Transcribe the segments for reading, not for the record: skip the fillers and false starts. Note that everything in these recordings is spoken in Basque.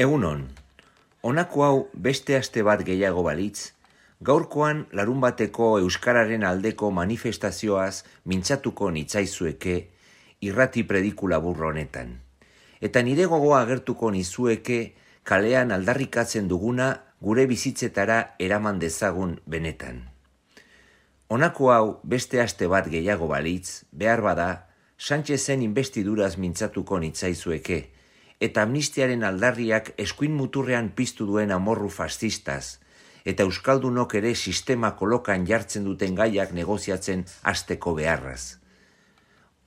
Egunon, honako hau beste aste bat gehiago balitz, gaurkoan larunbateko euskararen aldeko manifestazioaz mintzatuko nitzaizueke irrati prediku labur honetan. Eta nire gogoa agertuko nizueke kalean aldarrikatzen duguna gure bizitzetara eraman dezagun benetan. Honako hau beste aste bat gehiago balitz, behar bada, Sánchezen investiduraz mintzatuko nitzaizueke, eta amnistiaren aldarriak eskuin muturrean piztu duen amorru fascistaz, eta euskaldunok ere sistema kolokan jartzen duten gaiak negoziatzen hasteko beharraz.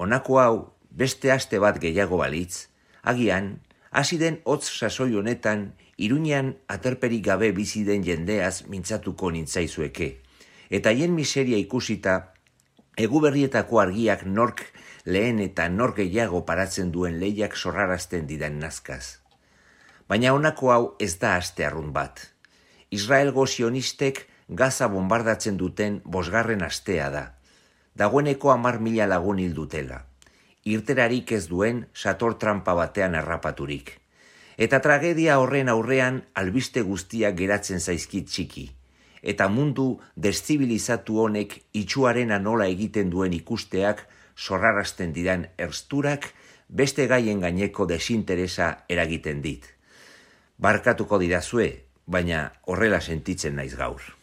Honako hau beste aste bat gehiago balitz, agian, hasi den hotz sasoi honetan, Iruñean aterperik gabe bizi den jendeaz mintzatuko nintzaizueke, eta haien miseria ikusita, eguberrietako argiak nork lehen eta nork gehiago paratzen duen lehiak sorrarazten didan nazkaz. Baina honako hau ez da aste arrunt bat. Israelgo sionistek Gaza bombardatzen duten 5. astea da. Dagoeneko 10.000 lagun hil dutela. Irterarik ez duen sator tranpa batean harrapaturik. Eta tragedia horren aurrean albiste guztiak geratzen zaizkit txiki. Eta mundu deszibilizatu honek itxuarena nola egiten duen ikusteak sorrarazten didan ersturak beste gaien gaineko desinteresa eragiten dit. Barkatuko didazue, baina horrela sentitzen naiz gaur.